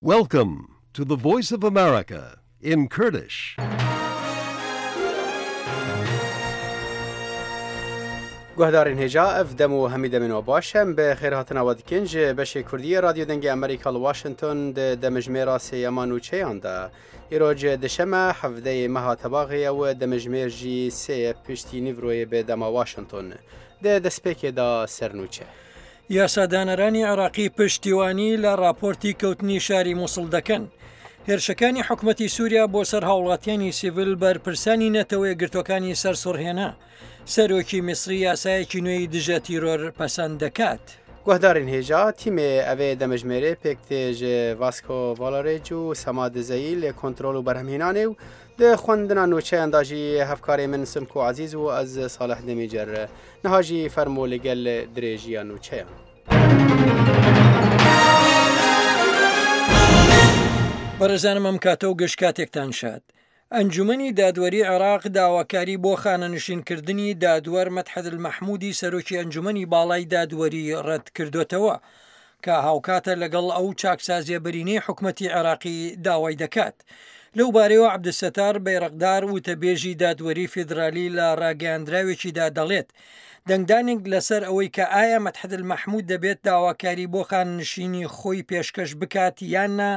Welcome to the Voice of America in Kurdish. Guhdarên hêja ev dem û hemî demên we baş em bi xêrhatina we dikin ji beşê Kurdiyê Radyo Dengê Amerîka li Washington di demijmêra sêyema nûçeyan de. Îro ji dişeme hevdeyê meha tebaxê ye û demijmêr jî sê ye piştî nîvroyê bi dema Washington. Di destpêkê de ser nûçe. یاسادانەرانی عێراقی پشتیوانی لە ڕاپۆرتی کەوتنی شاری موسڵ دەکەن. هێرشەکانی حکومەتی سووریا بۆ سەر هاوڵاتیانی سیڤل بەرپرسانی نەتەوە یەکگرتووەکانی سەرسوڕهێنا. سەرۆکی میسری یاسایەکی نوێی دژە تیرۆر پەسەند دەکات. Guhdarên hêja tîmê evê demijmêrê pêk tê ji Vasco Valarêc û Sema Dizeyî li kontrol û berhemhênanê û Di xwendina nûçeyan de jî hevkarê min Simko Ezîz û ez Salih Demîcer. Niha jî fermo li gel dirêjiya nûçeyan. بەڕێزانم ئەم کاتە و گشت کاتێکتان شاد. ئەنجومەنی دادوەری عێراق داواکاری بۆ خانەنشینکردنی دادوەر مەدحەت المەحمودی سەرۆکی ئەنجومەنی باڵای دادوەری ڕەتکردۆتەوە. کە هاوکاتە لەگەڵ ئەو چاکسازیە بەرینەی حکومەتی عێراقی داوای دەکات. لەو بارەیەوە عەبدولستار بەیرەقدار وتەبێژی دادوەری فیدرالی لە ڕاگەیاندراوێکیدا دەڵێت، دەنگدانێک لەسەر ئەوەی کە ئایا مەدحەت المەحمود دەبێت داواکاری بۆ خانەنشینی خۆی پێشکەش بکات یان نا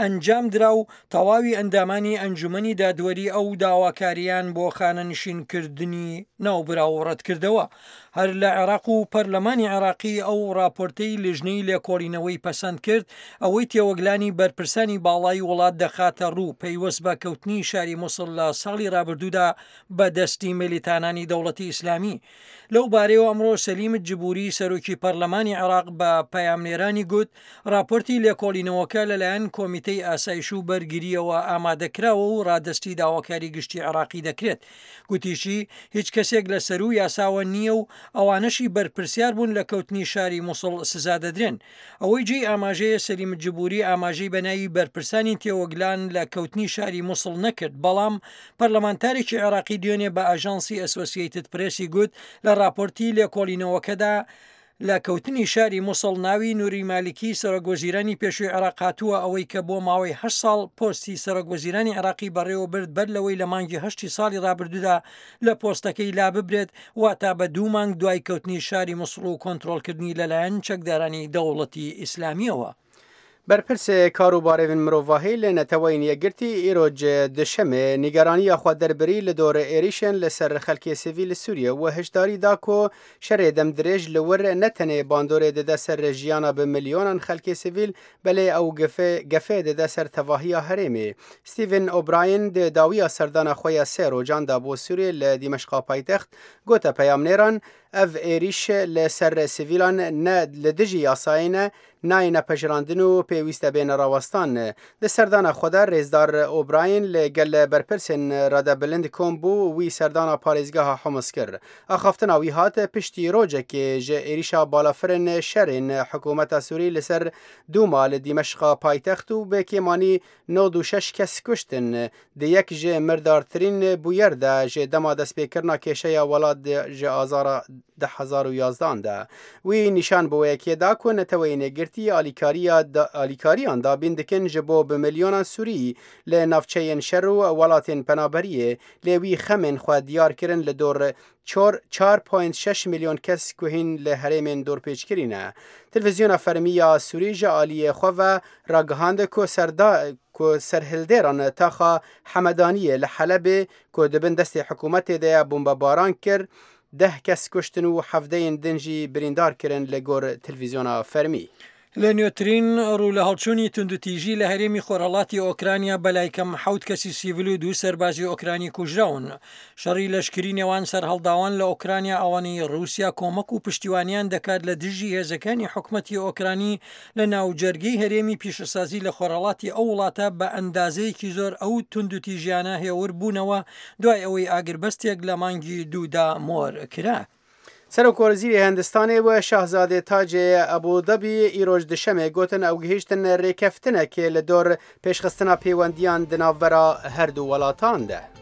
ئەنجامدرا و تەواوی ئەندامانی ئەنجومەنی دادوەری ئەو داواکارییان بۆ خانەنشینکردنی ناوبراو ڕەتکردەوە. هەر لە عێراق و پەرلەمانی عێراقی ئەو ڕاپۆرتەی لیژنەی لێکۆڵینەوەی پەسەند کرد، ئەوەی تێوەگلانی بەرپرسانی باڵای وڵات دەخاتە ڕوو پەیوەست بە کەوتنی شاری موسڵ لە ساڵی ڕابردوودا بە دەستی میلیتانانی دەوڵەتی ئیسلامی. لەو بارەیەوە ئەمڕۆ سەلیم جبوری سەرۆکی پەرلەمانی عێراق بە پەیامنێرانی گوت، ڕاپۆرتی لێکۆڵینەوەکە لەلایەن کۆمیتەی ئاسایش و بەرگرییەوە ئامادەکراوە و ڕادەستی داواکاری گشتی عێراقی دەکرێت. گوتیشی، هیچ کەسێک لە سەروو یاساوە نییە و ئەوانەشی بەرپرسیار بوون لە کەوتنی شاری موسڵ سزا دەدرێن. ئەوەی جێی ئاماژەیە سەلیم جبوری ئاماژەی بە ناوی بەرپرسانی تێوەگلان لە کەوتنی شاری موسڵ نەکرد، بەڵام پەرلەمانتارێکی عێراقی دوێنێ بە ئاژانسی ئەسۆسیەیتد پرێسی گوت، لە ڕاپۆرتی لێکۆڵینەوەکەدا لە کەوتنی شاری موسڵ ناوی نوری مالیکی سەرۆک وەزیرانی پێشووی عێراق هاتووە ئەوەی کە بۆ ماوەی هەشت ساڵ پۆستی سەرۆک وەزیرانی عێراقی بەڕێوە برد بەر لەوەی لە مانگی هەشتی ساڵی ڕابردوودا لە پۆستەکەی لاببرێت واتا بە دوو مانگ دوای کەوتنی شاری موسڵ و کۆنترۆڵکردنی لەلایەن چەکدارانی دەوڵەتی ئیسلامیەوە. Berpirsê karûbarên mirovahî li Neteweyên Yekgirtî îro ji Duşemê nîgeraniya xwe derbirî li dor êrîşên li ser xelkê sivîl li Sûriyê û hişdarî da ku şerê demdirêj li wir ne tenê bandorê dide ser jiyana bi milyonan xelkê sivîl belê ew gefê dide ser tevahiya herêmê. Stephen O'Brien di dawiya serdana xwe ya sê rojan de bo Sûriyê li Dîmeşqa paytext gote peyamnêran, Ev êrîş li ser sivîlan ne li dijî yasayê ne, nayêne pejirandin û pêwîst e bêne rawestan. Di serdana xwe de rêzdar O'Brien li gel berpirsên radebilind kom bû û wî serdana parêzgeha Humus kir. Axaftina wî hat piştî rojekê ji êrîşa balafirên şerên hikûmeta Sûrî li ser Dûma li Dîmeşqa paytext û bi kêmanî 96 kes kuştin. Di yek ji mirdartirîn bûyer de ji dema destpêkirina kêşeya welat ji azara 2011 an de. Wî nîşan bi wê yekê da ku Neteweyên Yekgirtî alîkariya alîkariyan dabîn dikin ji bo bi milyonan Sûrî li navçeyên şer û welatên penaberiyê lê wî xemên xwe diyar kirin li dor çor çar point şeş milyon kes ku hîn li herêmên dorpêçkirî ne. Televîzyona fermî ya Sûrî ji aliyê xwe ve ragihand ku serda ku serhildêran taxa Hemedaniyê li Helebê ku di bin destê hikûmetê de ye bombebaran kir, deh kes kuştin û hevdeyên din jî birîndar kirin li gor televîzyona fermî. لە نوێترین ڕوولەهەڵچوونی توندوتیژی لە هەرێمی خۆرهەڵاتی ئۆکرانیا بەلایکەم حەوت کەسی سیڤل و دوو سەربازی ئۆکرانی کوژراون. شەڕی لەشکری نێوان سەرهەڵداوان لە ئۆکرانیا ئەوانەی ڕووسیا کۆمەک و پشتیوانیان دەکات لە دژی هێزەکانی حکومەتی ئۆکرانی لە ناوجەرگەی هەرێمی پیشەسازی لە خۆرهەڵاتی ئەو وڵاتە بە ئەندازەیەکی زۆر ئەو توندوتیژیانە هێور بوونەوە دوای ئەوەی ئاگربەستێک لە مانگی دوودا مۆر کرا. Serokwezîrê Hindistanê û Şahzadê Tacê Ebû Dabî îroj Duşemê gotin ew gihîştin rêkeftinekê li dor pêşxistina pêwendiyan di navbera her du welatan de.